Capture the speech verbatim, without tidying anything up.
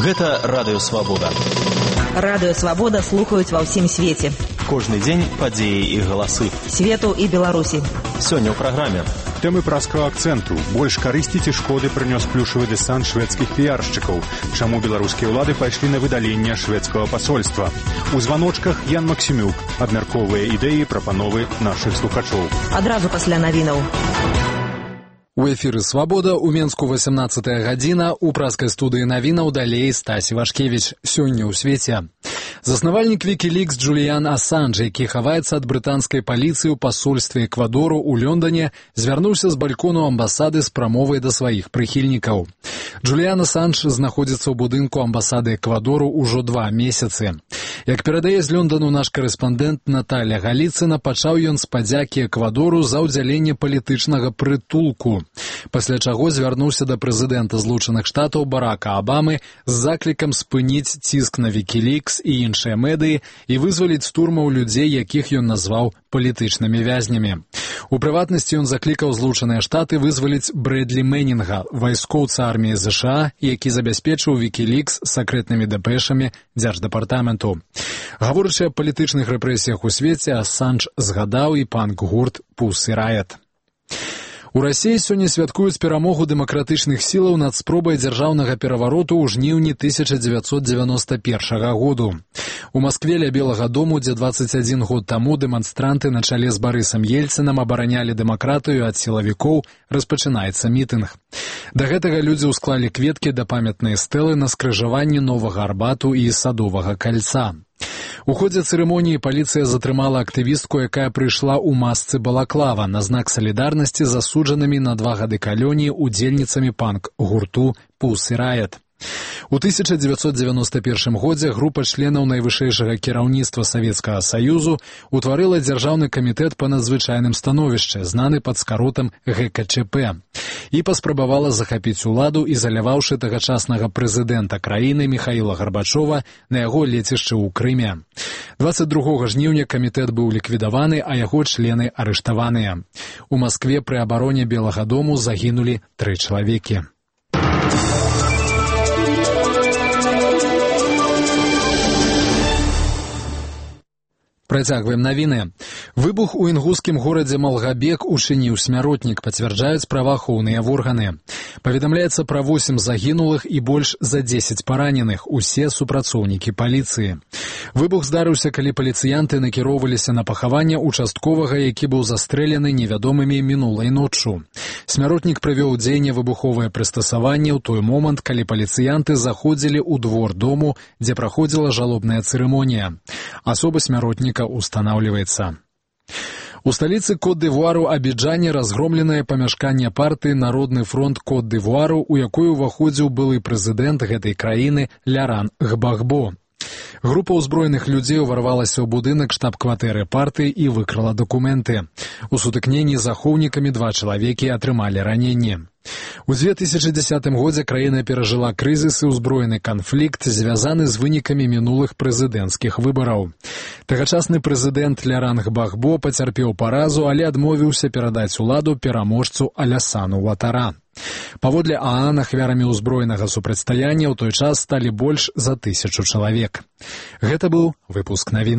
Гэта Радыё Свабода. Радыё Свабода слухаюць ва ўсім свеце. Кожны дзень падзеі і галасы. Свету і Беларусі. Сёння ў праграме. Тэмы праскага акцэнту. Больш карысці ці шкоды прынёс плюшавы дэсант шведскіх піяршчыкаў. Чаму беларускія ўлады пайшлі на выдаленне шведскага пасольства. У званочках Ян Максімюк абмяркоўвае ідэі, прапановы нашых слухачоў. Адразу пасля навінаў. У эфіры «Свабода» у Менску васямнаццатая гадзіна, у праскай студыі навінаў далей Стасі Вашкевіч. Сёння ў свеце. Заснавальнік Wikileaks Джуліян Асанж, які хаваецца ад брытанскай паліцыі ў пасольстве Эквадору ў Лондоне, звярнуўся з балькону амбасады з прамовай да сваіх прыхільнікаў. Джуліян Асанж знаходзіцца ў будынку амбасады Эквадору ўжо два месяцы. Як перадае з Лондону наш карэспандэнт Наталя Галіцына, пачаў ён з падзякі Эквадору за ўдзяленне палітычнага прытулку. Пасля чаго звярнуўся да прэзідэнта Злучаных Штатаў Барака Абамы з заклікам спыніць ціск на Wikileaks і іншыя медыі і вызваліць з турмаў людзей, якіх ён назваў палітычнымі вязнямі. У прыватнасці ён заклікаў Злучаныя Штаты вызваліць Брэдлі Мэнінга, вайскоўца арміі ЗША, які забяспечыў Wikileaks сакрэтнымі дэпэшамі дзярждэпартаменту. Гаворачы аб палітычных рэпрэсіях у свеце, Асанж згадаў і панк-гурт Pussy Riot. У Расіі сёння святкуюць перамогу дэмакратычных сілаў над спробай дзяржаўнага перавароту ў жніўні тысяча дзевяцьсот дзевяноста першага году. У Маскве ля Белага дому, дзе дваццаць адзін год таму дэманстранты на чале з Барысам Ельцынам абаранялі дэмакратыю ад сілавікоў, распачынаецца мітынг. Да гэтага людзі ўсклалі кветкі да памятнай стэлы на скрыжаванні Новага Арбату і Садовага кальца. У ходзе цырымоніі паліцыя затрымала актывістку, якая прыйшла ў масцы балаклава на знак салідарнасці з асуджанымі на два гады калоніі удзельніцамі панк-гурту Pussy Riot. У тысяча дзевяцьсот дзевяноста першым годзе група членаў найвышэйшага кіраўніцтва Савецкага Саюзу утварыла дзяржаўны камітэт па надзвычайным становішчы, знаны пад скаротам гэ ка чэ пэ, і паспрабавала захапіць уладу, ізаляваўшы тагачаснага прэзідэнта краіны Міхаіла Гарбачова на яго лецішчы ў Крыме. дваццаць другога жніўня камітэт быў ліквідаваны, а яго члены арыштаваныя. У Маскве пры абароне Белага дому загінулі тры чалавекі. Працягваем навіны. Выбух у інгускім горадзе Малгабек учыніў смяротнік, пацвярджаюць праваахоўныя органы. Паведамляецца пра восем загінулых і больш за дзесяць параненых, усе супрацоўнікі паліцыі. Выбух здарыўся, калі паліцыянты накіроўваліся на пахаванне участковага, які быў застрэлены невядомымі мінулай ноччу. Смяротнік прывёў у дзеянне выбуховае прыстасаванне ў той момант, калі паліцыянты заходзілі ў двор дому, дзе праходзіла жалобная цырымонія. Асоба смяротніка устанаўліваецца. У сталіцы Кот-д'Івуару Абіджане разгромленае памяшканне партыі «Народны фронт Кот-д'Івуару», у якой уваходзіў былы прэзідэнт гэтай краіны Ляран Гбагбо. Група ўзброеных людзей уварвалася ў будынак штаб-кватэры партыі і выкрала дакументы. У сутыкненні з ахоўнікамі два чалавекі атрымалі раненні. У дзве тысячы дзесятым годзе краіна перажыла крызіс і ўзброены канфлікт, звязаны з вынікамі мінулых прэзідэнцкіх выбараў. Тагачасны прэзідэнт Ляран Гбагбо пацярпеў паразу, але адмовіўся перадаць уладу пераможцу Алясану Уатара. Паводле ААН ахвярамі ўзброенага супрацьстаяння ў той час сталі больш за тысячу чалавек. Гэта быў выпуск навін.